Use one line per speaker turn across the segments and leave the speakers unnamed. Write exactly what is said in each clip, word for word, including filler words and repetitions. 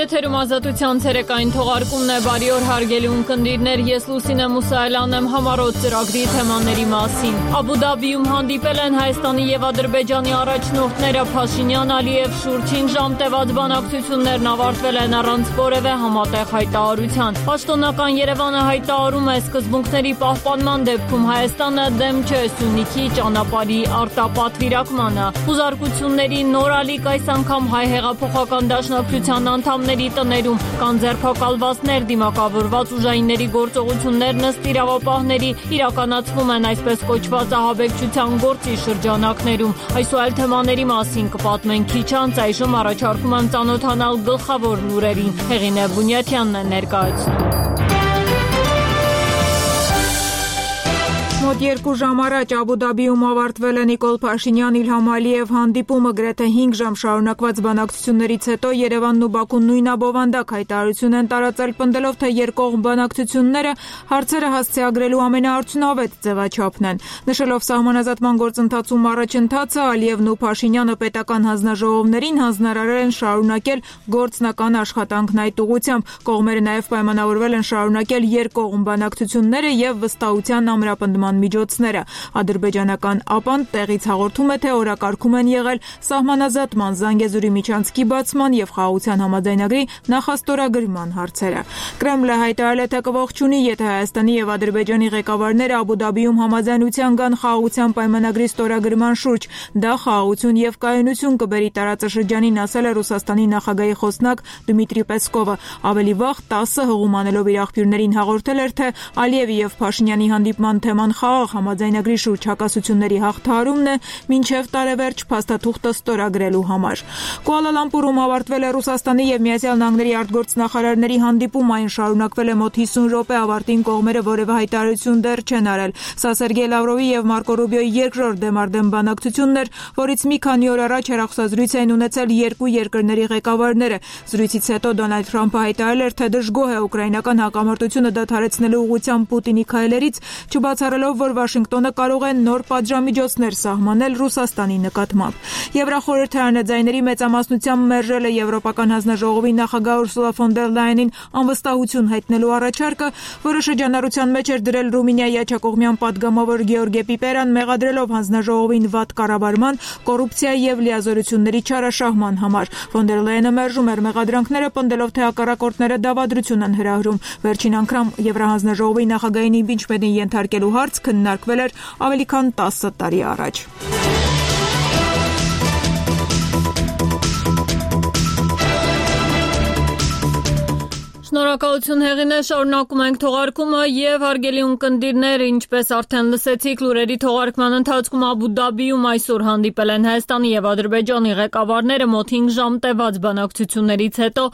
Եթերում ազատության ցերեկային թողարկումն է, բարի օր հարգելի ունկնդիրներ, ես Լուսինե Մուսայելյանն եմ համառոտ ծրագրի թեմաների մասին։ Աբու Դաբիում հանդիպել են Հայաստանի եւ Ադրբեջանի առաջնորդները Փաշինյան, Ալիև շուրջ հինգ ժամ տևած բանակցություններն ավարտվել են առանց որևէ համատեղ հայտարարության։ Պաշտոնական Երևանը հայտարարում է սկզբունքների պահպանման դեպքում Հայաստանը դեմ չէ Սյունիքի ճանապարհի արտապատվիրակմանը։ Հուզարկությունների նոր ալիք այս անգամ հայ հեղափոխական դաշնակցության անդամների տներում կան ձերբակալվածներ, դիմակավորված ուժայինների գործողություններն ըստ իրավապահների իրականացվում են այսպես կոչված ահաբեկչության գործի շրջանակներում։ Այս ու այլ թեմաների մասին կպատմենք քիչ անց, այժմ առաջարկում եմ ծանոթանալ գլխավոր լուրերին։ Հեղինե Բունյաթյանն է ներկայացնում։ Մոտ երկու ժամ առաջ Աբու Դաբիում ավարտվել է Նիկոլ Փաշինյան Իլհամ Ալիև հանդիպումը, գրեթե հինգ ժամ շարունակված բանակցություններից հետո Երևանն ու Բաքուն նույնաբովանդակ հայտարարություն են տարածել, պնդելով, թե երկկողմ բանակցությունները հարցերը հասցեագրելու ամենաարդյունավետ ձևաչափն են։ Նշելով սահմանազատման գործընթացում առաջընթացը, Ալիևն ու Փաշինյանը պետական հանձնաժողովներին հանձնարարել են շարունակել գործնական աշխատանքն այդ ուղղությամբ։ Կողմերը նաև պայմանավորվել են շարունակել երկկողմ բանակցությունները եւ վստահության ամրապնդման միջոցները։ Ադրբեջանական ԱՊԱ-ն տեղից հաղորդում է, թե օրակարգում են եղել սահմանազատման, Զանգեզուրի միջանցքի բացման եւ խաղաղության համաձայնագրի նախաստորագրման հարցերը։ Կրեմլը հայտարարել է, թե կողջունի, եթե Հայաստանի եւ Ադրբեջանի ղեկավարները Աբու Դաբիում համաձայնության կան խաղաղության պայմանագրի ստորագրման շուրջ։ Դա խաղաղություն եւ կայունություն կբերի տարածաշրջանին, ասել է Ռուսաստանի նախագահի խոսնակ Դմիտրի Պեսկովը։ Ավելի վաղ տասը հղում անելով իր աղբյուրներին հաղորդել էր, թե Ալիևի եւ Փաշինյանի հանդիպման թեման խաղաղ համաձայնագրի շուրջ հակասությունների հաղթահարումն է մինչև տարեվերջ փաստաթուղթը ստորագրելու համար։ Կուալա Լամպուրում ավարտվել է Ռուսաստանի եւ Միացյալ Նահանգների արտգործնախարարների հանդիպում, այն շարունակվել է մոտ հիսուն րոպե, ավարտին կողմերը որևէ հայտարարություն դեռ չեն արել։ Սա Սերգեյ Լավրովի եւ Մարկո Ռուբիոյի երկրորդ դեմարդեմ բանակցությունն էր, որից մի քանի օր առաջ հեռախոսազրույց էին ունեցել երկու երկրների ղեկավարները։ Զրույցից հետո Դոնալդ Թրամփը հայտարարել էր, թե դժգոհ է ուկրաինական հակամարտությունը դադարեցնելու ուղղությամբ Պուտինի քայլերից, չբացառելով, որ Վաշինգտոնը կարող է նոր պատժամիջոցներ սահմանել Ռուսաստանի նկատմամբ։ Եվրախորհրդարանը ձայների մեծամասնությամբ մերժել է Եվրոպական հանձնաժողովի նախագահ Ուրսուլա ֆոն դեր Լայենին անվստահություն հայտնելու առաջարկը, որը շրջանառության մեջ էր դրել Ռումինիայի աջակողմյան պատգամավոր Գեորգե Պիպերան, մեղադրելով հանձնաժողովին վատ կառավարման, կոռուպցիայի եւ լիազորությունների չարաշահման համար։ Ֆոն դեր Լայենը մերժում էր մեղադրանքները, պնդելով, թե հակառակորդները դավադրություն են հրահրում։ Վերջին անգամ Եվրահանձնաժողովի նախագահին իմպիչմենտին ենթարկելու հարց քննարկվել էր ավելի քան տասը տարի առաջ։ Շնորհակալություն Հեղինե, շարունակում ենք թողարկումը եւ հարգելի ունկնդիրներ, ինչպես արդեն լսեցիք, լուրերի թողարկման ընթացքում Աբու Դաբիում այսօր հանդիպել են Հայաստանի եւ Ադրբեջանի ղեկավարները, մոտ հինգ ժամ տևած բանակցություններից հետո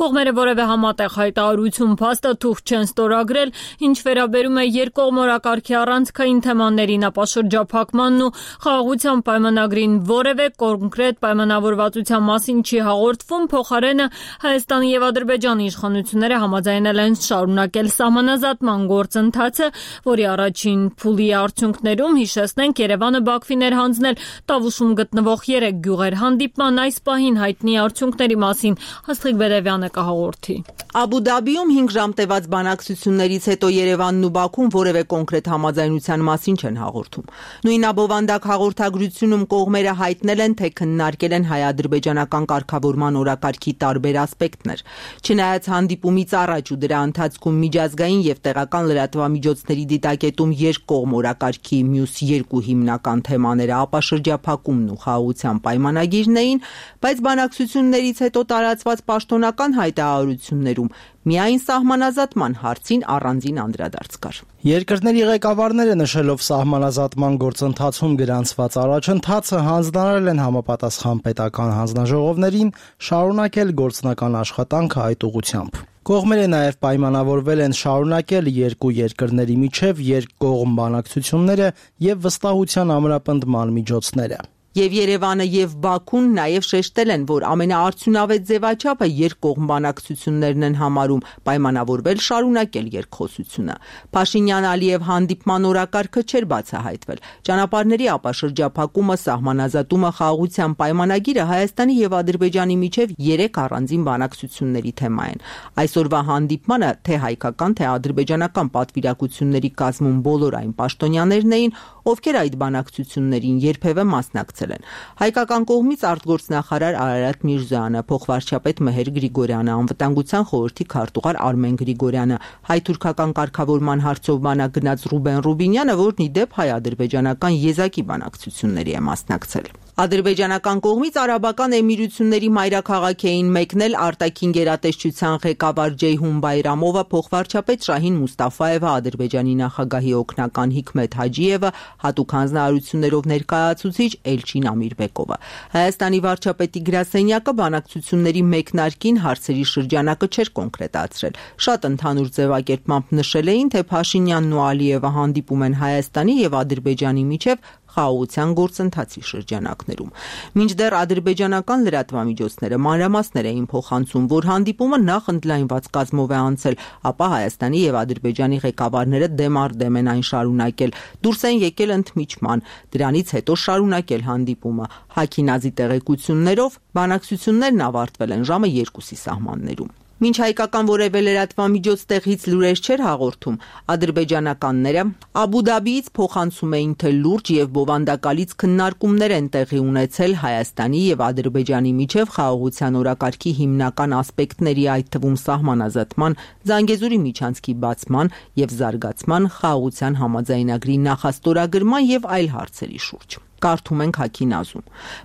կողմերը որևէ համատեղ հայտարարություն փաստաթուղթ չեն ստորագրել, ինչ վերաբերում է երկկողմ օրակարգի առանցքային թեմաներին, ապա շրջափակմանն ու խաղաղության պայմանագրին որևէ կոնկրետ պայմանավորվածության մասին չի հաղորդվում, փոխարենը Հայաստանի եւ Ադրբեջանի իշխանությունները համաձայնել են շարունակել սահմանազատման գործընթացը, որի առաջին փուլի արդյունքներում, հիշեցնենք, Երևանը Բաքվին էր հանձնել Տավուշում գտնվող երեք գյուղեր։ Հանդիպման այս պահին հայտնի արդյունքների մասին Աստղիկ Բերևյանը կհաղորդի։
Աբու Դաբիում հինգ ժամ տևած բանակցություններից հետո Երևանն ու Բաքուն որևէ կոնկրետ համաձայնության մասին չեն հաղորդում։ Նույնաբովանդակ հաղորդագրությունում կողմերը հայտնել են, թե քննարկել են հայ-ադրբեջանական կարգավորման օրակարգի տարբեր ասպեկտներ։ Չնայած հանդիպումից առաջ ու դրա ընթացքում միջազգային եւ տեղական լրատվամիջոցների դիտակետում երկկողմ օրակարգի մյուս երկու հիմնական թեմաները, ապա շրջափակումն ու խաղաղության պայմանագիրն էին, բայց բանակցություններից հետո տարածված պաշտոնական հայտարարություններում միայն սահմանազատման հարցին առանձին անդրադարձ կար։
Երկրների ղեկավարները նշելով սահմանազատման գործընթացում գրանցված առաջընթացը հանձնարարել են համապատասխան պետական հանձնաժողովներին շարունակել գործնական աշխատանքը այդ ուղղությամբ։ Կողմերը նաև պայմանավորվել են շարունակել երկու երկրների միջև երկկողմ բանակցությունները եւ վստահության ամրապնդման միջոցները։
Եվ Երևանը եւ Բաքուն նաեւ շեշտել են, որ ամենաարդյունավետ ձևաչափը երկկողմ բանակցություններն են համարում պայմանավորվել շարունակել երկխոսությունը։ Փաշինյան-Ալիև հանդիպման օրակարգը չէր բացահայտվել։ Ճանապարհների ապաշրջափակումը, սահմանազատումը, խաղաղության պայմանագիրը Հայաստանի եւ Ադրբեջանի միջև երեք առանձին բանակցությունների թեմա են։ Այսօրվա հանդիպմանը թե հայկական, թե ադրբեջանական պատվիրակությունների կազմում բոլոր այն պաշտոնյաներն էին, ովքեր այդ բանակցություններին երբևէ մասնակցել են։ Հայկական կողմից արտգործնախարար Արարատ Միրզոյանը, փոխվարչապետ Մեհեր Գրիգորյանը, անվտանգության խորհրդի քարտուղար Արմեն Գրիգորյանը, հայ-թուրքական կարգավորման հարցով բանագնաց Ռուբեն Ռուբինյանը, որն ի դեպ հայ-ադրբեջանական եզակի բանակցությունների է մասնակցել։ Ադրբեջանական կողմից Արաբական Էմիրությունների մայրաքաղաք էին մեկնել արտաքին գերատեսչության ղեկավար Ջեյհուն Բայրամովը, փոխվարչապետ Շահին Մուստաֆաևը, Ադրբեջանի նախագահի օգնական Հիկմետ Հաջիևը, հատուկ հանձնարարություններով ներկայացուցիչ Էլչին Ամիրբեկովը։ Հայաստանի վարչապետի գրասենյակը բանակցությունների մեկնարկին հարցերի շրջանակը չէր կոնկրետացրել։ Շատ ընդհանուր ձևակերպմամբ նշել էին, թե Փաշինյանն ու Ալիևը հանդիպում են Հայաստանի եւ Ադրբեջանի միջև խաղաղության գործընթացի շրջանակներում։ Մինչդեռ ադրբեջանական լրատվամիջոցները մանրամասներ էին փոխանցում, որ հանդիպումը նախ ընդլայնված կազմով է անցել, ապա Հայաստանի եւ Ադրբեջանի ղեկավարները դեմ առ դեմ են այն շարունակել, դուրս են եկել ընդմիջման, դրանից հետո շարունակել հանդիպումը։ Հաքինազի տեղեկություններով բանակցություններն ավարտվել են ժամը երկուսի սահմաններում։ Մինչ հայկական որևէ լրատվամիջոց տեղից լուրեր չէր հաղորդում, ադրբեջանականները Աբու Դաբիից փոխանցում էին, թե լուրջ եւ բովանդակալից քննարկումներ են տեղի ունեցել Հայաստանի եւ Ադրբեջանի միջև խաղաղության օրակարգի հիմնական ասպեկտների, այդ թվում սահմանազատման, Զանգեզուրի միջանցքի բացման եւ զարգացման, խաղաղության համաձայնագրի նախաստորագրման եւ այլ հարցերի շուրջ։ Կարդում ենք Հաքինազում։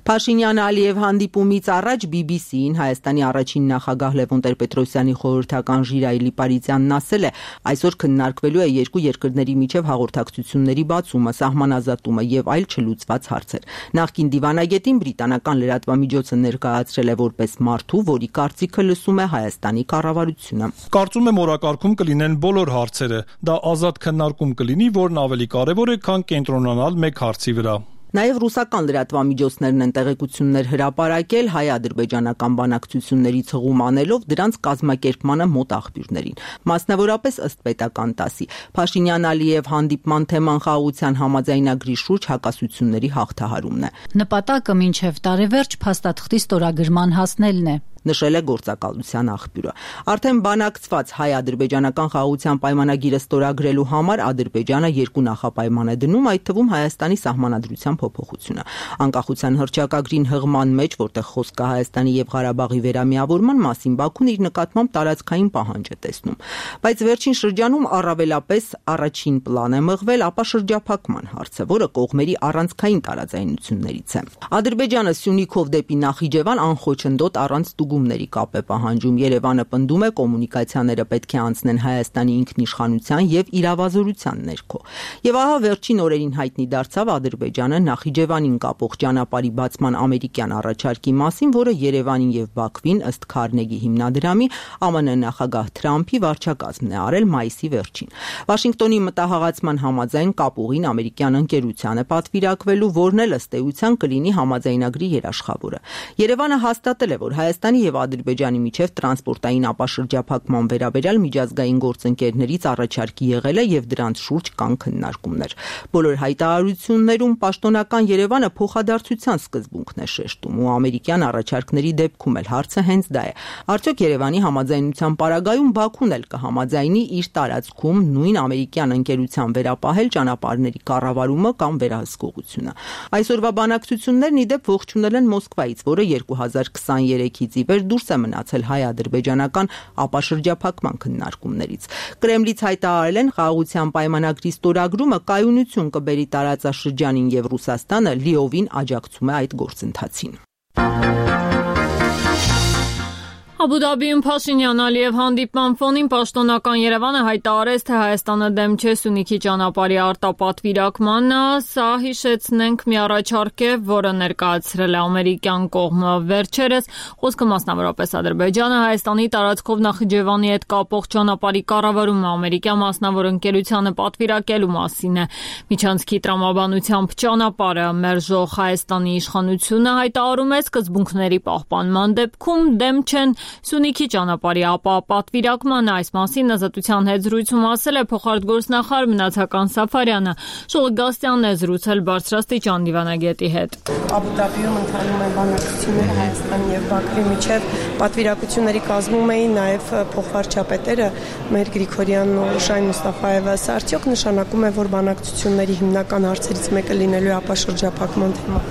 Փաշինյան-Ալիև հանդիպումից առաջ բի բի սի-ին Հայաստանի առաջին նախագահ Լևոն Տեր-Պետրոսյանի խորհրդական Ժիրայելի Պարիզյանն ասել է, այսօր քննարկվելու է երկու երկրների միջև հաղորդակցությունների բացումը, սահմանազատումը եւ այլ չլուծված հարցեր։ Նախկին դիվանագետին բրիտանական լրատվամիջոցը ներկայացրել է որպես մարդու, որի կարծիքը լսում է Հայաստանի կառավարությունը։
Կարծում եմ օրակարգում կլինեն բոլոր հարցերը։ Դա ազատ քննարկում կլինի, որն ավելի կարևոր է, քան կենտրոնանալ մեկ հարցի վրա։
Նաև ռուսական լրատվամիջոցներն են տեղեկություններ հրապարակել հայ-ադրբեջանական բանակցություններից հղում անելով դրանց կազմակերպմանը մոտ աղբյուրներին։ Մասնավորապես ըստ պետական տասի, Փաշինյան-Ալիև հանդիպման թեման խաղաղության համաձայնագրի շուրջ հակասությունների հաղթահարումն է։
Նպատակը մինչև տարեվերջ փաստաթղթի ստորագրման հասնելն է,
նշել է գործակալության աղբյուրը։ Արդեն բանակցված հայ-ադրբեջանական խաղաղության պայմանագիրը ստորագրելու համար Ադրբեջանը երկու նախապայման է դնում, այդ թվում Հայաստանի սահմանադրության փոփոխությունը։ Անկախության հռչակագրին հղման մեջ, որտեղ խոսք կա Հայաստանի եւ Ղարաբաղի վերամիավորման մասին, Բաքուն իր նկատմամբ տարածքային պահանջ է տեսնում։ Բայց վերջին շրջանում առավելապես առաջին պլան է մղվել ապա շրջափակման հարցը, որը կողմերի առանցքային տարաձայնություններից է։ Ադրբեջանը Սյունիքով դեպի Նախիջևան անխոչնդոտ առանց ստուգումների կապ է պահանջում։ Երևանը պնդում է կոմունիկացիաները պետք է անցնեն Հայաստանի ինքնիշխանության եւ իրավազորության ներքո։ Եվ ահա վերջին օրերին հայտնի դարձավ Ադրբեջանը Նախիջևանին կապող ճանապարհի բացման ամերիկյան առաջարկի մասին, որը Երևանին եւ Բաքվին ըստ Քարնեգի հիմնադրամի ԱՄՆ նախագահ Թրամփի վարչակազմն է արել մայիսի վերջին։ Վաշինգտոնի մտահղացման համաձայն կապուղին ամերիկյան ընկերության է պատվիրակվելու, որն էլ ըստ էության կլինի համաձայնագրի երաշխավորը։ Երևանը հաստատել է, որ Հայաստանի եւ Ադրբեջանի միջև տրանսպորտային ապաշրջափակման վերաբերյալ միջազգային գործընկերներից առաջարկի եղել է եւ դրանց շուրջ կան քննարկումներ։ Բոլոր հայտարարություններում պաշտոնական Երևանը փոխադարձության սկզբունքն է շեշտում ու ամերիկյան առաջարկների դեպքում էլ հարցը հենց դա է։ Արդյոք Երևանի համաձայնության պարագայում Բաքուն էլ կհամաձայնի իր տարածքում նույն ամերիկյան ընկերության վերապահել ճանապարհների կառավարումը կամ վերահսկողությունը։ Այսօրվա բանակցություններն ի դեպ ողջունել են Մոսկվայից, որը երկու հազար քսաներեքից ի վեր դուրս է մնացել հայ-ադրբեջանական ապաշրջափակման քննարկումներից։ Կրեմլից հայտարարել են խաղաղության պայմանագրի ստորագրումը կայունություն կբերի տարածաշրջանին եւ Ռուսաստանը լիովին աջակցում է այդ գործընթացին։
Աբու Դաբիում Փաշինյան-Ալիև հանդիպման ֆոնին պաշտոնական Երևանը հայտարարեց, թե Հայաստանը դեմ չէ Սյունիքի ճանապարհի արտապատվիրակմանը, սա հիշեցնենք մի առաջարկ է, որը ներկայացրել է ամերիկյան կողմը վերջերս, խոսքը մասնավորապես Ադրբեջանը Հայաստանի տարածքով Նախիջևանի հետ կապող ճանապարհի կառավարումը ամերիկյան մասնավոր ընկերությանը պատվիրակելու մասին է։ Միջանցքի տրամաբանությամբ ճանապարհը մերժող Հայաստանի իշխանությունը հայտարարում է սկզբունքների պահպանման դեպքում դեմ չեն Սյունիքի ճանապարհի ապապատվիրակմանը, այս մասին Ազատության հետ զրույցում ասել է փոխարտգործնախարար Մնացական Սաֆարյանը։ Շուլիկ Գաստյանն է զրուցել բարձրաստիճան դիվանագետի հետ։
Աբու Դաբիում ընթանում են բանակցությունները Հայաստանի եւ Բաքվի միջև, պատվիրակությունների կազմում էին նաեւ փոխվարչապետերը մեր Գրիգորյանն ու Շայն Մուստաֆաևը։ Սա արդյոք նշանակում է, որ բանակցությունների հիմնական հարցերից մեկը լինելու է ապաշրջափակման թեմա։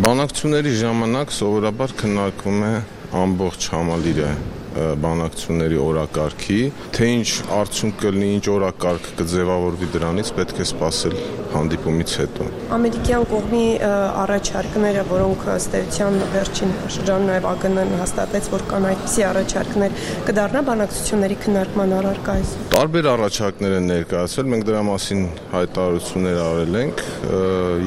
Բանակցությունների ժամանակ սովորաբար քննարկվում է ամբողջ համալիրը բանակցությունների օրակարգի, թե ինչ արդյունք կլինի, ինչ օրակարգ կձևավորվի դրանից, պետք է սպասել հանդիպումից հետո։ Ամերիկյան
կողմի առաջարկները, որոնք ըստ էության վերջին շրջանում նաև ԱԳՆ-ն հաստատեց, որ կան այդպիսի առաջարկներ, կդառնա բանակցությունների քննարկման առարկայից։
Տարբեր առաջարկներ են ներկայացվել, մենք դրա մասին հայտարարություններ արել ենք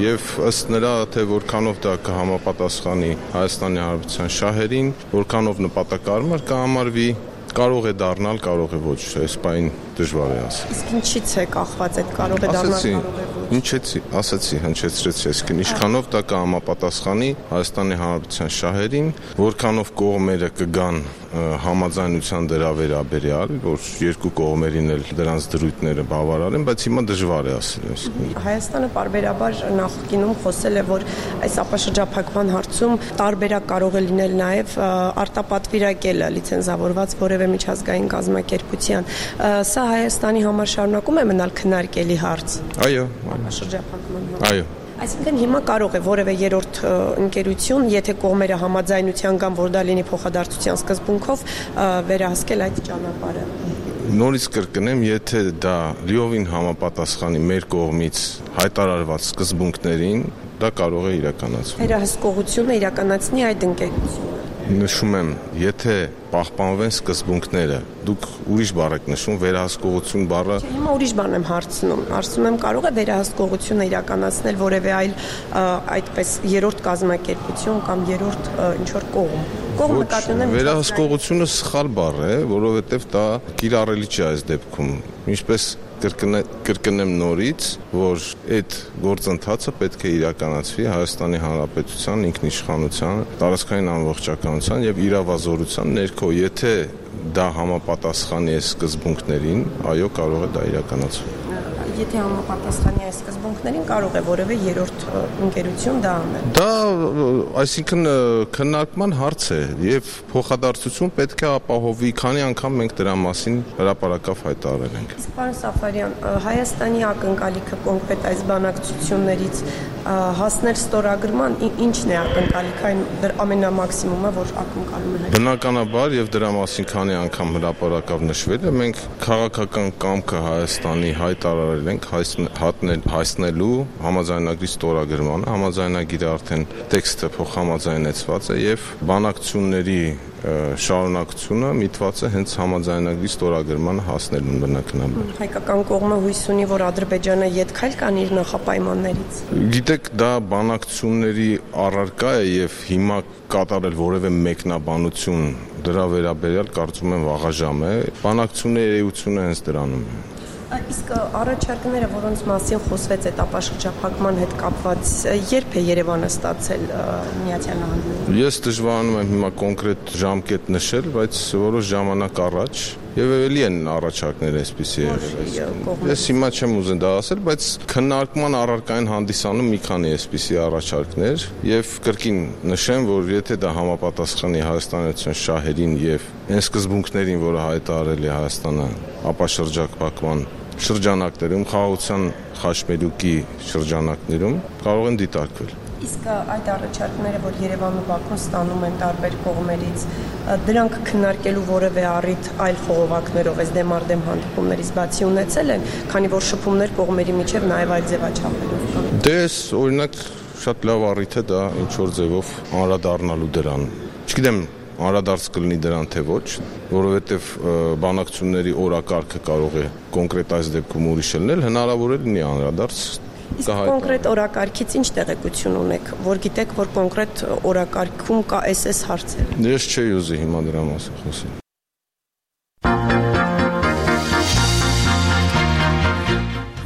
եւ ըստ նրա, թե որքանով դա կհամապատասխանի Հայաստանի Հանրապետության շահերին, որքանով նպատակարար կհամարվի, կարող է դառնալ, կարող է ոչ, այս բանը դժվար է ասել։
Իսկ ինչից է կախված այդ կարող է դառնալ, կարող է ոչ։
Ինչեցի, ասացի, հնչեցրեցի, այսինքն ինչքանով դա կհամապատասխանի Հայաստանի Հանրապետության շահերին, որքանով կողմերը կգան համաձայնության դրա վերաբերյալ, որ երկու կողմերին էլ դրանց դրույթները բավարար են, բայց հիմա դժվար է ասել։
Հայաստանը պարբերաբար նախկինում խոսել է, որ այս ապաշրջափակման հարցում տարբերակ կարող է լինել նաև արտապատվիրակելը լիցենզավորված որևէ միջազգային կազմակերպության։ Սա Հայաստանի համար շարունակում է մնալ քննարկելի հարց։
Այո,
ապաշրջափակման հարց։
Այո։
Այսինքն հիմա կարող է որևէ երրորդ ընկերություն, եթե կողմերը համաձայնության կան, որ դա լինի փոխադարձության սկզբունքով, վերահսկել այդ ճանապարհը։
Նորից կրկնեմ, եթե դա լիովին համապատասխանի մեր կողմից հայտարարված սկզբունքներին, դա կարող է իրականացվել։
Վերահսկողությունը իրականացնի այդ ընկերությունը։
Նշում եմ, եթե պահպանվեն սկզբունքները, դուք ուրիշ բառ եք նշում, վերահսկողություն բառը։
Հիմա ուրիշ բան եմ հարցնում, ասում եմ կարող է վերահսկողությունը իրականացնել որևէ այլ այդպես երրորդ կազմակերպություն կամ երրորդ ինչ-որ կողմ։ Կողմը կատարում
վերահսկողությունը սխալ բառ է, որովհետև դա կիրառելի չէ այս դեպքում։ Ինչպես կրկնեմ նորից, որ այդ գործընթացը պետք է իրականացվի Հայաստանի Հանրապետության ինքնիշխանության, տարածքային ամբողջականության եւ իրավազորության ներքո, եթե դա համապատասխանի այս սկզբունքներին, այո, կարող է դա իրականացվել։
Եթե համապատասխանի այս սկզբունքներին, կարող է որևէ երրորդ ընկերություն դա անել։
Դա, այսինքն քննարկման հարց է եւ փոխադարձություն պետք է ապահովի, քանի անգամ մենք դրա մասին հրապարակավ հայտարարել ենք։
Իսկ պարոն Սաֆարյան, Հայաստանի ակնկալիքը կոնկրետ այս բանակցություններից հասնել ստորագրման, ինչն է ակնկալիքը, այն ամենամաքսիմումը, որ ակնկալում է։
Բնականաբար եւ դրա մասին քանի անգամ հրապարակավ նշվել է, մենք քաղաքական կամքը Հայաստանի հայտարարել ենք հասնելու համաձայնագրի ստորագրմանը, համաձայնագիրը արդեն տեքստը փոխհամաձայնեցված է եւ բանակցությունների շարունակությունը միտված է հենց համաձայնագրի ստորագրմանը հասնելուն բնականաբար։
Հայկական կողմը հույս ունի, որ Ադրբեջանը ետքայլ կանի իր նախապայմաններից։
Գիտեք, դա բանակցությունների առարկա է եւ հիմա կատարել որևէ մեկնաբանություն դրա վերաբերյալ կարծում եմ վաղաժամ է։ Բանակցությունների էությունը հենց դրանում է։
Իսկ առաջարկները, որոնց մասին խոսվեց այդ ապաշրջափակման հետ կապված, երբ է Երևանը ստացել Միացյալ Նահանգներում։
Ես դժվարանում եմ հիմա կոնկրետ ժամկետ նշել, բայց որոշ ժամանակ առաջ եւ ելի են առաջարկներ այսպիսի եղել։ Ես հիմա չեմ ուզում դա ասել, բայց քննարկման առարկային հանդիսանում մի քանի այսպիսի առաջարկներ եւ կրկին նշեմ, որ եթե դա համապատասխանի Հայաստանյան շահերին եւ այն սկզբունքներին, որը հայտարարել է Հայաստանը ապաշրջափակման շրջանակներում, խաղաղության խաչմերուկի շրջանակներում կարող են դիտարկվել։
Իսկ այդ առաջարկները, որ Երևանն ու Բաքուն ստանում են տարբեր կողմերից, դրանք քննարկելու որևէ առիթ այլ խողովակներով այս դեմարդեմ հանդիպումներից բացի ունեցել են, քանի որ շփումներ կողմերի միջև նաև այլ ձևաչափերով կան։
Դե օրինակ շատ լավ առիթ է դա ինչ որ ձևով անդրադառնալու դրան։ Չգիտեմ, անդրադարձ կլինի դրան թե ոչ, որովհետև բանակցությունների օրակարգը կարող է կոնկրետ այս դեպքում ուրիշ լինել, հնարավոր է լինի անդրադարձ։
Իսկ կոնկրետ օրակարգից ինչ տեղեկություն ունեք, որ գիտեք, որ կոնկրետ օրակարգում կա այս հարցեր։
Ես չէի ուզի հիմա դրա մասին խոսել։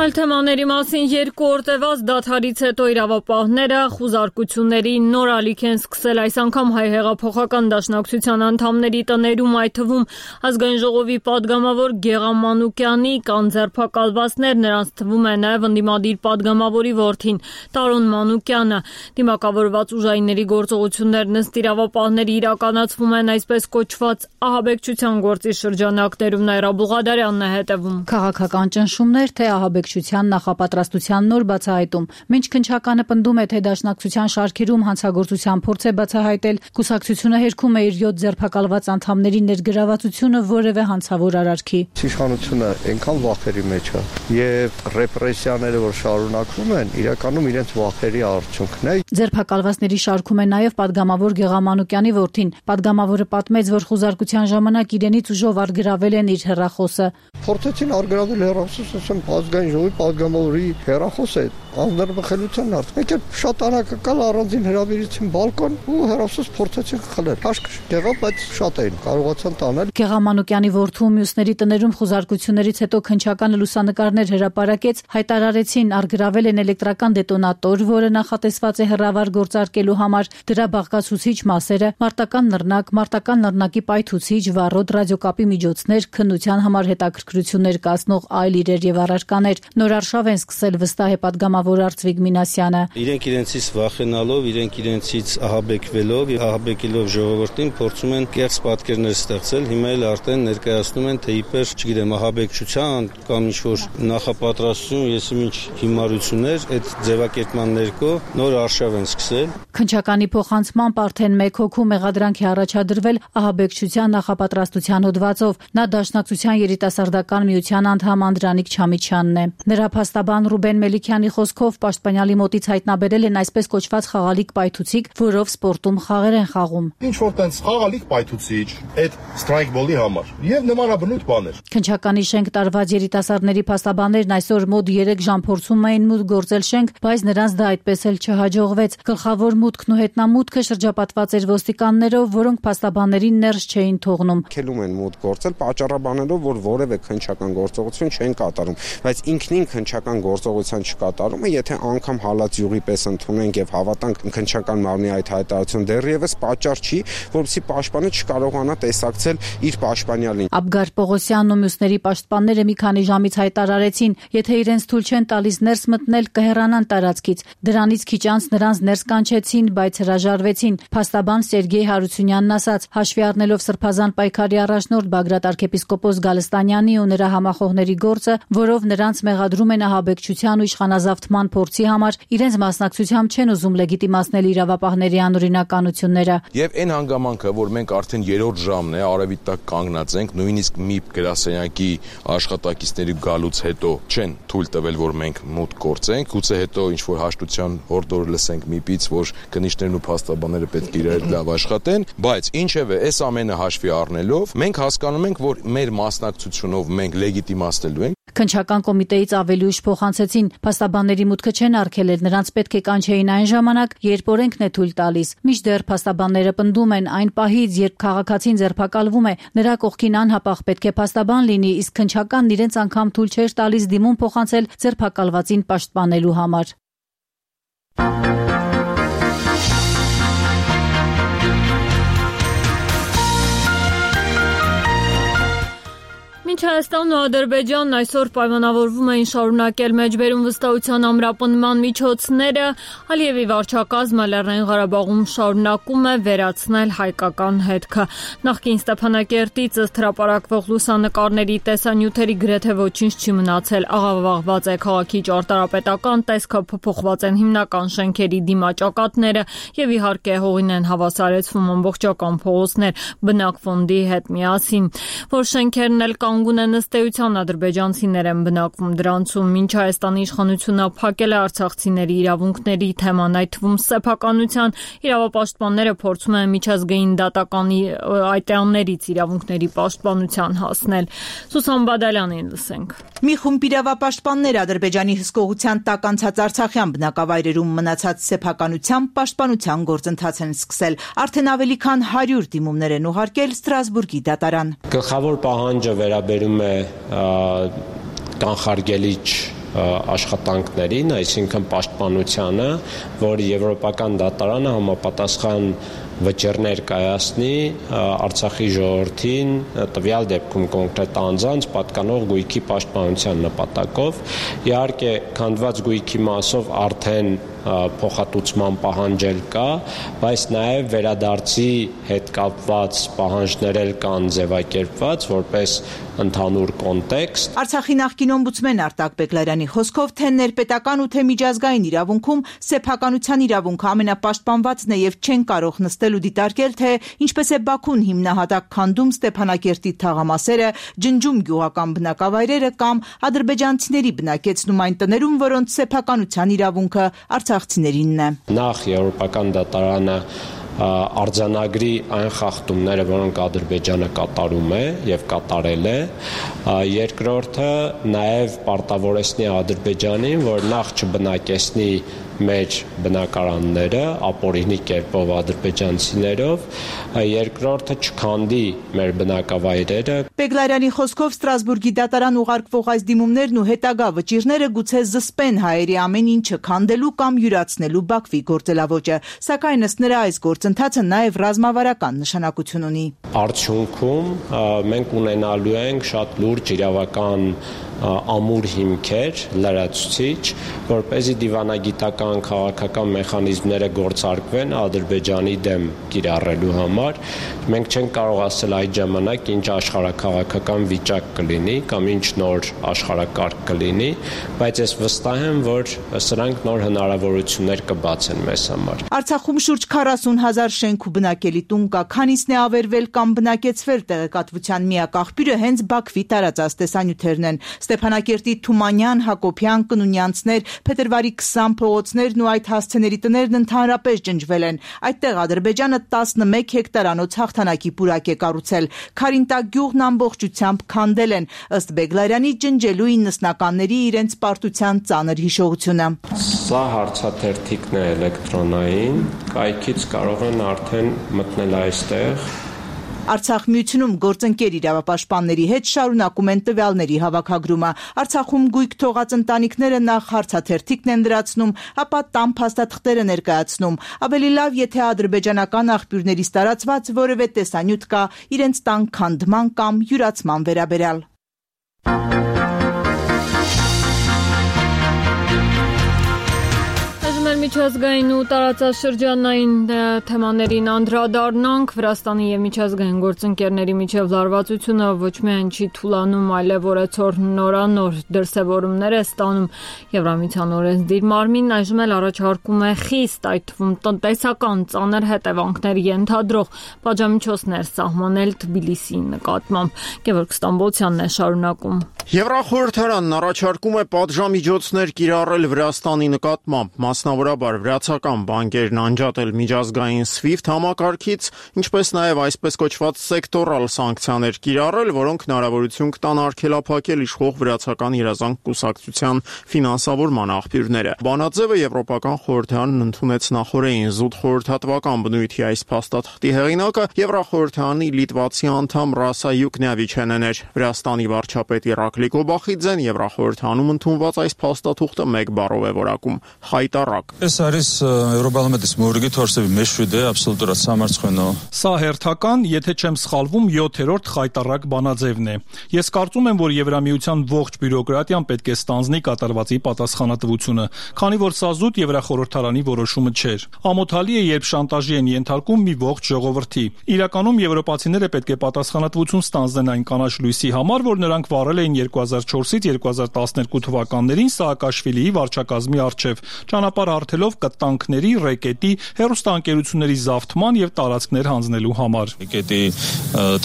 Այլ թեմաների մասին երկու օր տևած դադարից հետո իրավապահները խուզարկությունների նոր ալիք են սկսել այս անգամ հայ հեղափոխական դաշնակցության անդամների տներում, այդ թվում ազգային ժողովի падգամավոր Գեղամ Մանուկյանի կան ձերբակալվածներ, նրանց թվում է նաև ընդդիմադիր падգամավորի որդին Տարոն Մանուկյանը։ Դիմակավորված ուժայինների գործողություններն ըստ իրավապահների իրականացվում են այսպես կոչված ահաբեկչության գործի շրջանակներում։ Նաիրա Բուղադարյանն է հետևում։
Քաղաքական ճնշումներ, թե ահաբեկչության նախապատրաստության նոր բացահայտում։ Մինչ քննչականը պնդում է, թե դաշնակցության շարքերում հանցագործության փորձ է բացահայտել, կուսակցությունը հերքում է իր յոթ ձերբակալված անդամների ներգրավվածությունը որևէ հանցավոր արարքի։
Իշխանությունը այնքան վախերի մեջ է եւ ռեպրեսիաները, որ շարունակվում են, իրականում իրենց վախերի արդյունքն է։
Ձերբակալվածների շարքում է նաև падգամավոր Գեղամ Մանուկյանի որդին։ Падգամավորը պատմեց, որ խուզարկության ժամանակ իրենից ուժով արգրավել են իր հեռախոսը։
Փորձեցին արգրավել հեռախոսը, ասեմ, ազգային ժողովի падգամավորի հեռախոսը անձնարբխելության հարց։ Մեկ էլ շատ անակնկալ առանձին հրավիրեցին բալկոն ու հեռախոս փորձեցին խլել։ Հաշկ եղավ, բայց շատ էին կարողացան տանել։
Գեղամ Մանուկյանի որդու մյուսների տներում խուզարկություններից հետո քննչականը լուսանկարներ հրապարակեց, հայտարարեցին արգրավել են էլեկտրական դետոնատոր, որը նախատեսված է հեռավար գործարկելու համար, դրա բաղկացուցիչ մասերը, մարտական նռնակ, մարտական նռնակի պայթուցիչ, վառոդ, ռադիոկապի միջոցներ, քննության համար հետաքրքրություններ կազմող այլ իրեր եւ առարկաներ։ Նոր արշավ են սկսել, վստահ է падգամավոր Արծվիկ Մինասյանը։
Իրենք իրենցից վախենալով, իրենք իրենցից ահաբեկվելով, ահաբեկելով ժողովրդին փորձում են կեղծ պատկերներ ստեղծել, հիմա էլ արդեն ներկայացնում են, թե իբր, չգիտեմ, ահաբեկչության կամ ինչ-որ նախապատրաստություն, եսի ինչ հիմարություններ, այդ ձևակերպման ներքո նոր արշավ են սկսել։
Քննչականի փոխանցմամբ արդեն մեկ հոգու մեղադրանք է առաջադրվել ահաբեկչության նախապատրաստության հոդվածով։ Նա Դաշնակցության երիտասարդական միության անդամ Անդրանիկ Չամիչյանն է։ Նրա փաստաբան Ռուբեն Մելիքյանի խոսքով պաշտպանյալի մոտից հայտնաբերել են այսպես կոչված խաղալիք պայթուցիկ, որով սպորտում խաղեր են խաղում։
Ինչ որ տենց խաղալիք պայթուցիչ, այդ սթրայքբոլի համար եւ նմանաբնույթ բաներ։
Քննչականի շենք տարված երիտասարդների փաստաբաններն այսօր մոտ երեք ժամ փորձում էին մուտք գործել շենք, բայց նրանց դա այդպես էլ չհաջողվեց։ Գլխավոր մուտքն ու հետնամուտքը շրջապատված էր ոստիկաններով, որոնք փաստաբաններին ներս չէին թողնում։
Քելում են մուտք գործել պատճառաբանելով, որ որևէ քննչական գործողություն չեն կատարում, բայց ինքնին քննչական գործողության չկատարումը, եթե անգամ հալած յուղի պես ընդունենք եւ հավատանք քննչական մարմնի այդ հայտարարություն, դեռևս պատճառ չի, որովհետեւ պաշտպանը չկարողանա տեսակցել իր պաշտպանյալին։
Աբգար Պողոսյանն ու մյուսների պաշտպանները մի քանի ժամից հայտարարեցին, եթե իրենց թույլ չեն տալիս ներս մտնել, կհեռանան տարածքից։ Դրանից քիչ անց նրանց ներս կանչեցին, բայց հրաժարվեցին։ Փաստաբան Սերգեյ Հարությունյանն ասաց, հաշվի առնելով սրբազան պայքարի առաջնորդ Բագրատ arczepiskopos Գալստանյանի ու նրա համախոհների գործը, որով նրանց մեղադրում են ահաբեկչության ու իշխանազավթման փորձի համար, իրենց մասնակցությամբ չեն ուզում լեգիտիմացնել իրավապահների անօրինականությունները։
Եվ այն հանգամանքը, որ մենք արդեն երրորդ ժամն է, արևի տակ կանգնած ենք, նույնիսկ մի գրասենյակի աշխատակիցների գալուց հետո չեն թույլ տվել, որ մենք մուտք գործենք, գուցե հետո ինչ որ հաշտության հորդոր լսենք միպից, որ քննիչներն ու փաստաբանները պետք է իրար լավ աշխատեն, բայց ինչևէ, այս ամենը հաշվի առնելով, մենք հասկանում ենք, որ մեր մասնակցությունով մենք լեգիտիմացնելու ենք։
Քննչական կոմիտեից ավելի ուշ փոխանցեցին, փաստաբանների մուտքը չեն արգելել, նրանց պետք է կանչեին այն ժամանակ, երբ օրենքն է թույլ տալիս։ Մինչդեռ փաստաբանները պնդում են, այն պահից, երբ քաղաքացին ձերբակալվում է, նրա կողքին անհապաղ պետք է փաստաբան լինի, իսկ քննչականն իրենց անգամ թույլ չէր տալիս դիմում փոխանցել ձերբակալվածին պաշտպանելու համար։
Մինչ Հայաստանն ու Ադրբեջանն այսօր պայմանավորվում էին շարունակել մեջբերում վստահության ամրապնդման միջոցները, Ալիևի վարչակազմը Լեռնային Ղարաբաղում շարունակում է վերացնել հայկական հետքը։ Նախկին Ստեփանակերտից ըստ հրապարակվող լուսանկարների տեսանյութերի գրեթե ոչինչ չի մնացել, աղավաղված է քաղաքի ճարտարապետական տեսքը, փոփոխված են հիմնական շենքերի դիմաճակատները եւ իհարկե հողին են հավասարեցվում ամբողջական փողոցներ բնակ ֆոնդի հետ միասին, որ շենքերն էլ կանգուն ունեն ըստ էության ադրբեջանցիներ են բնակվում դրանցում, մինչ Հայաստանի իշխանությունը փակել է արցախցիների իրավունքների թեման, այդ թվում սեփականության, իրավապաշտպանները փորձում են միջազգային դատականի այտեղներից իրավունքների պաշտպանության հասնել։ Սուսան Բադալյանին լսենք։
Մի խումբ իրավապաշտպաններ Ադրբեջանի հսկողության տակ անցած Արցախյան բնակավայրերում մնացած սեփականության պաշտպանության գործընթաց են սկսել։ Արդեն ավելի քան հարյուր դիմումներ են ուղարկել Ստրասբուրգի դատարան։
Գլխավոր պահանջը վերաբերում է կանխարգելիչ աշխատանքներին, այսինքն պաշտպանությանը, որ Եվրոպական դատարանը համապատասխան վճիռներ կայացնի Արցախի ժողովրդին տվյալ դեպքում կոնկրետ անձանց պատկանող գույքի պաշտպանության նպատակով։ Իհարկե, քանդված գույքի մասով արդեն փոխհատուցման պահանջել կա, բայց նաև վերադարձի հետ կապված պահանջներ էլ կան ձևակերպված որպես ընդհանուր կոնտեքստ։
Արցախի նախկին օմբուդսմեն Արտակ Բեգլարյանի խոսքով թե ներպետական ու թե միջազգային իրավունքում սեփականության իրավունքը ամենապաշտպանվածն է եւ չեն կարող նստել ու դիտարկել, թե ինչպես է Բաքուն հիմնահատակ քանդում Ստեփանակերտի թաղամասերը, ջնջում գյուղական բնակավայրերը կամ ադրբեջանցիների բնակեցնում այն տներում, որոնց սեփականության իրավունքը արցախցիներինն է։
Նախ Եվրոպական դատարանը արձանագրի այն խախտումները, որոնք Ադրբեջանը կատարում է եւ կատարել է, երկրորդը նաև պարտավորեցնի Ադրբեջանին, որ նախ չբնակեցնի մեր բնակարանները ապօրինի կերպով ադրբեջանցիներով, երկրորդը չքանդի մեր բնակավայրերը։
Բեգլարյանի խոսքով Ստրասբուրգի դատարան ուղարկվող այս դիմումներն ու հետագա վճիռները գուցե զսպեն հայերի ամեն ինչը քանդելու կամ յուրացնելու Բաքվի գործելավոճը, սակայն ըստ նրա այս գործընթացը նաև ռազմավարական նշանակություն ունի։
Արդյունքում մենք ունենալու ենք շատ լուրջ իրավական ամուր հիմքեր, լրացուցիչ, որպեսզի դիվանագիտական քաղաքական մեխանիզմները գործարկվեն Ադրբեջանի դեմ կիրառելու համար։ Մենք չենք կարող ասել այդ ժամանակ ինչ աշխարհաքաղաքական վիճակ կլինի կամ ինչ նոր աշխարհակարգ կլինի, բայց ես վստահ եմ, որ սրանք նոր հնարավորություններ կբացեն մեզ համար։
Արցախում շուրջ քառասուն հազար շենք ու բնակելի տուն կա, քանիսն է ավերվել կամ բնակեցվել, տեղեկատվության միակ աղբյուրը հենց Բաքվի տարածած տեսանյութերն են։ Ստեփանակերտի Թումանյան, Հակոբյան, Կնունյանցներ, Փետրվարի քսան փողոցներն ու այդ հասցեների տներն ընդհանրապես ջնջվել են։ Այդտեղ Ադրբեջանը տասնմեկ հեկտարանոց հաղթանակի պուրակ է կառուցել։ Քարինտակ գյուղն ամբողջությամբ քանդել են, ըստ Բեգլարյանի ջնջելու իննսնականների իրենց պարտության ծանր հիշողությունը։
Սա հարցաթերթիկն է էլեկտրոնային, կայքից կարող են արդեն մտնել այստեղ։
Արցախ միությունում գործընկեր իրավապաշտպանների հետ շարունակում են տվյալների հավաքագրումը։ Արցախում գույք թողած ընտանիքները նախ հարցաթերթիկն են լրացնում, ապա տան փաստաթղթերը ներկայացնում։ Ավելի լավ, եթե ադրբեջանական աղբյուրներից տարածված որևէ տեսանյութ կա իրենց տան քանդման կամ յուրացման վերաբերյալ։
Միջազգային ու տարածաշրջանային թեմաներին անդրադառնանք։ Վրաստանի եւ միջազգային գործընկերների միջև լարվածությունը ոչ միայն չի թուլանում, այլև օրեցօր նորանոր դրսևորումներ է ստանում։ Եվրամիության օրենսդիր մարմինն այժմ էլ առաջարկում է խիստ, այդ թվում տնտեսական ծանր հետևանքներ ենթադրող պատժամիջոցներ սահմանել Թբիլիսիի նկատմամբ։ Գևորգ Ստամբոլցյանն է շարունակում։
Եվրախորհրդարանն առաջարկում է պատժամիջոցներ կիրառել Վրաստանի նկատմամբ, մասնավորաբար վրացական բանկերն անջատել միջազգային SWIFT համակարգից, ինչպես նաև այսպես կոչված սեկտորալ սանկցիաներ կիրառել, որոնք հնարավորություն կտան արգելափակել իշխող վրացական երազանք կուսակցության ֆինանսավորման աղբյուրները։ Բանաձևը Եվրոպական խորհրդարանն ընդունեց նախորդին զուտ խորհրդատվական բնույթի այս փաստաթղթի հեղինակը Եվրախորհրդարանի լիտվացի անդամ Ռասա Յուկնյավիչենն էր։ Վրաստանի վարչապետ Իրակլի Կոբախիձեն Եվրախորհրդանում ընդունված այս փաստաթուղթը մեկ բառով է որակում՝ խայտառակ։
Այս არის Եվրոպարլամենտის մորգի թորսեվի մեջուդե աբսոլյուտորած համարցքնո։
Սա հերթական, եթե չեմ սխալվում, յոթերորդ խայտառակ բանաձևն է։ Ես կարծում եմ, որ Եվրամիության ողջ բյուրոկրատիան պետք է ստանձնի կատարվածի պատասխանատվությունը, քանի որ սա զուտ Եվրախորհրդարանի որոշումը չէր։ Ամոթալի է, երբ շանտաժի են ենթարկում մի ողջ ժողովրդի։ Իրականում եվրոպացիները պետք է պատասխանատվություն ստանձնեն այն կանաչ լույսի համար, որ նրանք վարել էին երկու հազար չորսից երկու հազար տասներկու թվականներին Սաակաշվիլիի վարչակազմի առջև, ճանապարհ բացելով կտանքների, ռեկետի, հեռուստաընկերությունների զավթման եւ տարածքներ հանձնելու համար։
Ռեկետի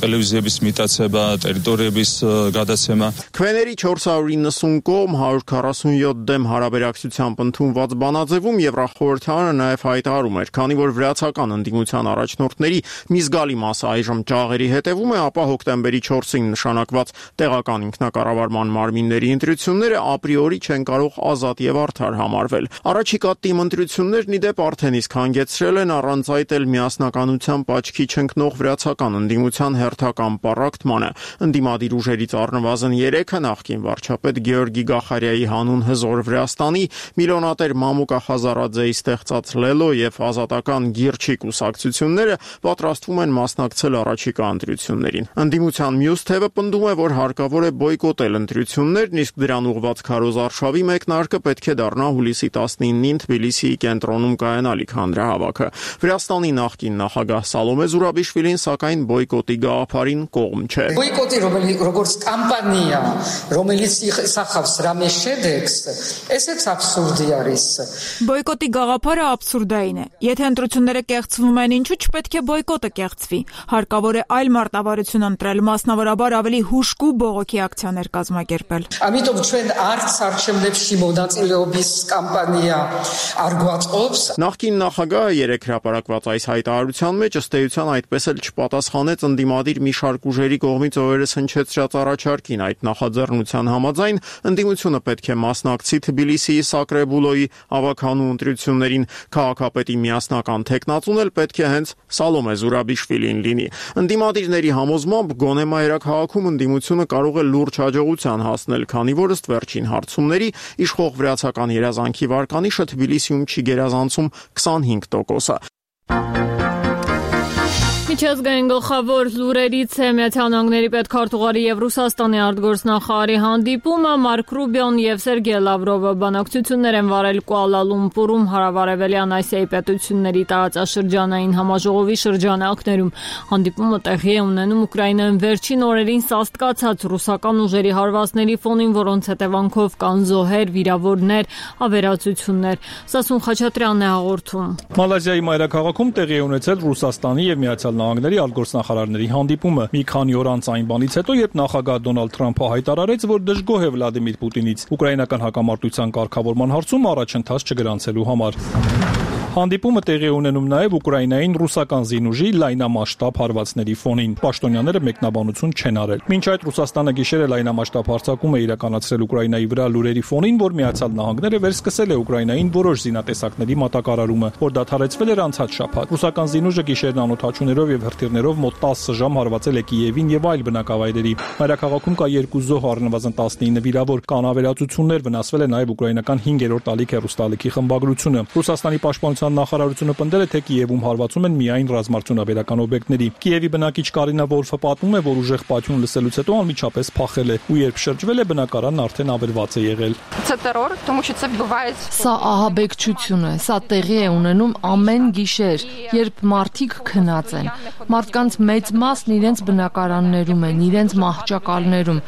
տելևիզիայից միտացება, տերիտորիայից գադացեմա։
Քվեների չորս հարյուր իննսուն կողմ հարյուր քառասունյոթ դեմ հարաբերակցությամբ ընդունված բանաձևում Եվրախորհրդարանը նաև հայտարարում էր, քանի որ վրացական ընդդիմության առաջնորդների մի զգալի մասը այժմ ճաղերի հետևում է, ապա հոկտեմբերի չորսին նշանակված տեղական ինքնակառավարման մարմինների ընտրությունները ապրիորի չեն կարող ազատ եւ արդար համարվել։ Առաջիկա թիմ ընտրություններն ի դեպ արդեն իսկ հանգեցրել են առանց այդ էլ միասնականությամբ աչքի չընկնող վրացական ընդդիմության հերթական պառակտմանը։ Ընդդիմադիր ուժերից առնվազն երեքը նախկին վարչապետ Գեորգի Գախարյայի հանուն հզոր Վրաստանի, միլիոնատեր Մամուկա Խազարաձեի ստեղծած Լելո եւ ազատական Գիրչի կուսակցությունները պատրաստվում են մասնակցել առաջիկա ընտրություններին։ Ընդդիմության մյուս թևը պնդում է, որ հարկավոր է բոյկոտել ընտրություններն, իսկ դրան ուղղված քարոզարշավի մեկնարկը պետք է դառնա հուլիսի տասնինին Թբիլիսիի կենտրոնում կայանալիք հանրահավաքը։ Վրաստանի նախկին նախագահ Սալոմե Զուրաբիշվիլին սակայն բոյկոտի գաղափարին կողմ չէ։
Բոյկոտի როგორც կամպանիա, რომელიც սախავს ռամեշեդեքս, էսեց абսուրդի արիս։
Բոյկոտի գաղափարը абսուրդային է։ Եթե ընտրությունները կեղծվում են, ինչու՞ չպետք է բոյկոտը կեղծվի։ Հարկավոր է այլ մարտավարություն ընտրել, մասնավորաբար ավելի հուժկու բողոքի ակցիաներ կազմակերպել։
Ամիտով չեն արց արչեմլեվ շիմոդացիլեոբիս կամպանիա արգուածոբս։
Նախկին նախագահը երեք հրապարակված այս հայտարարության մեջ ըստ էության այդպես էլ չպատասխանեց ընդդիմադիր մի շարք ուժերի կողմից օրերս հնչեցրած առաջարկին։ Այդ նախաձեռնության համաձայն ընդդիմությունը պետք է մասնակցի Թբիլիսիի Սակրեբուլոյի ավագանու ընտրություններին, քաղաքապետի միասնական թեկնածուն էլ պետք է հենց Սալոմե Զուրաբիշվիլին լինի։ Ընդդիմադիրների համոզմամբ գոնե մայրաքաղաքում ընդդիմությունը կարող է լուրջ հաջողության հասնել, քանի որ ըստ վերջին հարցումների իշխող վրացական երազանքի վարկանիշը Թբիլիսիում չի գերազանցում քսանհինգ տոկոսը։
Միջազգային գլխավոր լուրերից է Միացյալ Նահանգների պետքարտուղարի եւ Ռուսաստանի արտգործնախարարի հանդիպումը։ Մարկ Ռուբիոն եւ Սերգեյ Լավրովը բանակցություններ են վարել Կուալա Լումպուրում հարավարևելյան Ասիայի պետությունների տարածաշրջանային համաժողովի շրջանակներում։ Հանդիպումը տեղի է ունենում Ուկրաինայում վերջին օրերին սաստկացած ռուսական ուժերի հարվածների ֆոնին, որոնց հետևանքով կան զոհեր, վիրավորներ, ավերածություններ։ Սասուն Խաչատրյանն է հաղորդում։
Մալազիայի մայրաքաղաքում տեղի է ունեցել Ռուսաստանի եւ Միացյալ Նահանգների արտգործնախարարների հանդիպումը մի քանի օր անց այն բանից հետո, երբ նախագահ Դոնալդ Թրամփը հայտարարեց, որ դժգոհ է Վլադիմիր Պուտինից ուկրաինական հակամարտության կարգավորման հարցում առաջընթաց չգրանցելու համար։ Հանդիպումը տեղի ունենում նաև Ուկրաինային ռուսական զինուժի լայնամասշտաբ հարվածների ֆոնին։ Պաշտոնյաները մեկնաբանություն չեն արել։ Մինչ այդ Ռուսաստանը գիշերը լայնամասշտաբ հարձակում է իրականացրել Ուկրաինայի վրա լուրերի ֆոնին, որ Միացյալ Նահանգները վերսկսել է Ուկրաինային որոշ զինատեսակների մատակարարումը, որ դադարեցվել էր անցած շաբաթ։ Ռուսական զինուժը գիշերն անօդաչուներով եւ հրթիռներով մոտ տասը ժամ հարվածել է Կիևին եւ այլ բնակավայրերի։ Մայրաքաղաքում կա երկու զոհ, առնվազն տասնինը վիրավոր, կան ավերածություններ, վնասվել է նաև ուկրաինական հինգերորդ ալիք հեռուստաալիքի խմբագրությունը։ Ռուսաստանի պաշտպանության նախարարությունը պնդել է, թե Կիևում հարվածում են միայն ռազմարտությունաբերական օբյեկտների։ Կիևի բնակիչ Կարինա Վոլֆը պատմում է, որ ուժեղ պատյուն լսելուց հետո անմիջապես փախել է, ու երբ շրջվել է, բնակարանն արդեն ավերված է եղել։
Սա ահաբեկչություն է, սա տեղի է ունենում ամեն գիշեր, երբ մարդիկ քնած են։ Մարդկանց մեծ մասն իրենց բնակարաններում են, իրենց մահճակալներում։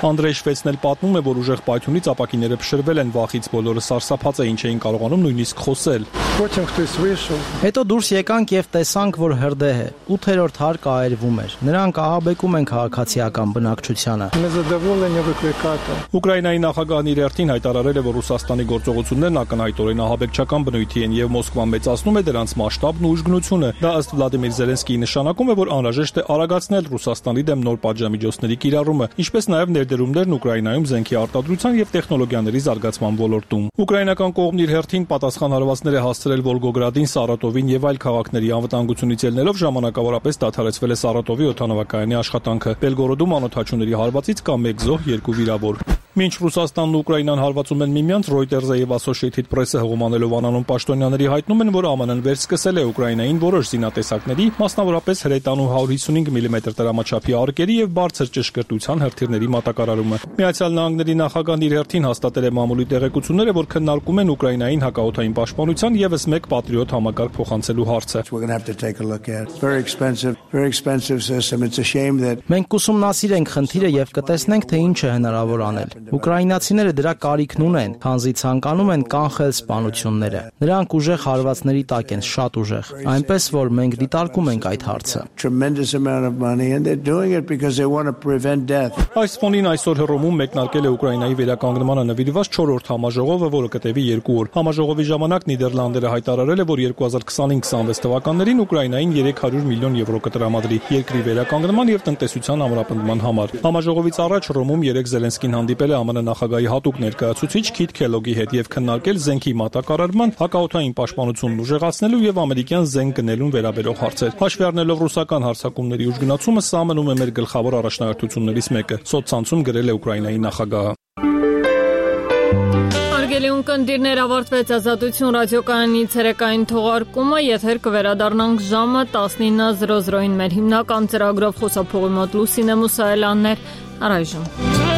Անդրեյ Շվեցն էլ պատմում է, որ ուժեղ պատյունից ապակիները փշրվել են, վախից բոլորը սարսափած էին, չէին կարողանում նույնիսկ խոսել։
Հետո դուրս եկանք եւ տեսանք, որ հրդեհ է։ ութերորդ հարկը այրվում էր։ Նրանք ահաբեկում են քաղաքացիական բնակչությանը։
Ուկրաինայի նախագահն իր հերթին հայտարարել է, որ Ռուսաստանի գործողություններն ակնհայտորեն ահաբեկչական բնույթի են եւ Մոսկվան մեծացնում է դրանց մասշտաբն ու ուժգնությունը։ Դա ըստ Վլադիմիր Զելենսկիի նշանակում է, որ անհրաժեշտ է արագացնել Ռուսաստանի դեմ նոր պատժամիջոցների կիրառումը, ինչպես նաեւ ներդրումներն Ուկրաինայում զենքի արտադրության եւ տեխնոլոգիաների զարգացման ոլորտում։ Ուկրաինական կողմն իր հերթին պատասխան հարվածներ է հասցրել Վոլգոգրադին, Սարատովին եւ այլ քաղաքների անվտանգությունից ելնելով ժամանակավորապես դադարեցվել է Սարատովի օդանավակայանի աշխատանքը։ Բելգորոդում անօդաչուների հարվածից կա մեկ զոհ, երկու վիրավոր։ Մինչ Ռուսաստանն ու Ուկրաինան հարվածում են միմյանց, Reuters-ը եւ Associated Press-ը հողմանելով անանուն պաշտոնյաների հայտնում են, որ ԱՄՆ-ն վերսկսել է Ուկրաինային որոշ զինատեսակների, մասնավորապես հրետանու հարյուր հիսունհինգ միլիմետր տրամաչափի արկերի եւ բարձր ճշգրտության հրթիռների մատակարարումը։ Միացյալ Նահանգների նախագահն իր հերթին հաստատել է մամուլի տեղեկությունները, որ քննարկում են Ուկրաինային հակաօդային պաշտպանության եւս մեկ Patriot համակարգ փոխանցելու հարցը։
Մենք կուսումնասիրենք խնդիրը եւ կտեսնենք, թե ինչ է հնարավոր անել։ Ուկրաինացիները դրա կարիքն ունեն, քանզի ցանկանում են կանխել սպանությունները։ Նրանք ուժեղ հարվածների տակ են, շատ ուժեղ, այնպես որ մենք դիտարկում ենք այդ հարցը։
Այս ֆոնին այսօր Հռոմում մեկնարկել է Ուկրաինայի վերականգնմանը նվիրված չորրորդ համաժողովը, որը կտևի երկու օր։ Համաժողովի ժամանակ Նիդերլանդները հայտարարել է, որ երկու հազար քսանհինգ քսանվեց թվականներին Ուկրաինային երեք հարյուր միլիոն եվրո կտրամադրի երկրի վերականգնման եւ տնտեսության ամրապնդման համար։ Համաժողովից առաջ Հռոմում երեք Զելենսկին հանդիպել է ԱՄՆ նախագահի հատուկ ներկայացուցիչ Քիթ Քելոգի հետ եւ քննարկել զենքի մատակարարման, հակաօդային պաշտպանությունն ուժեղացնելու եւ ամերիկյան զենք գնելուն վերաբերող հարցեր։ Հաշվի առնելով ռուսական հարձակումների ուժգնացումը, սա մնում է մեր գլխավոր առաջնահերթություններից մեկը, սոցցանցում գրել է Ուկրաինայի նախագահը։
Հարգելի ունկնդիրներ, ավարտվեց Ազատություն ռադիոկայանի ցերեկային թողարկումը, եթեր կվերադառնանք ժամը տասնինը զրո զրոին մեր հիմնական ծրագրով, խոսափողի մոտ Լուսինե Մուսայելյանն էր, առայժմ։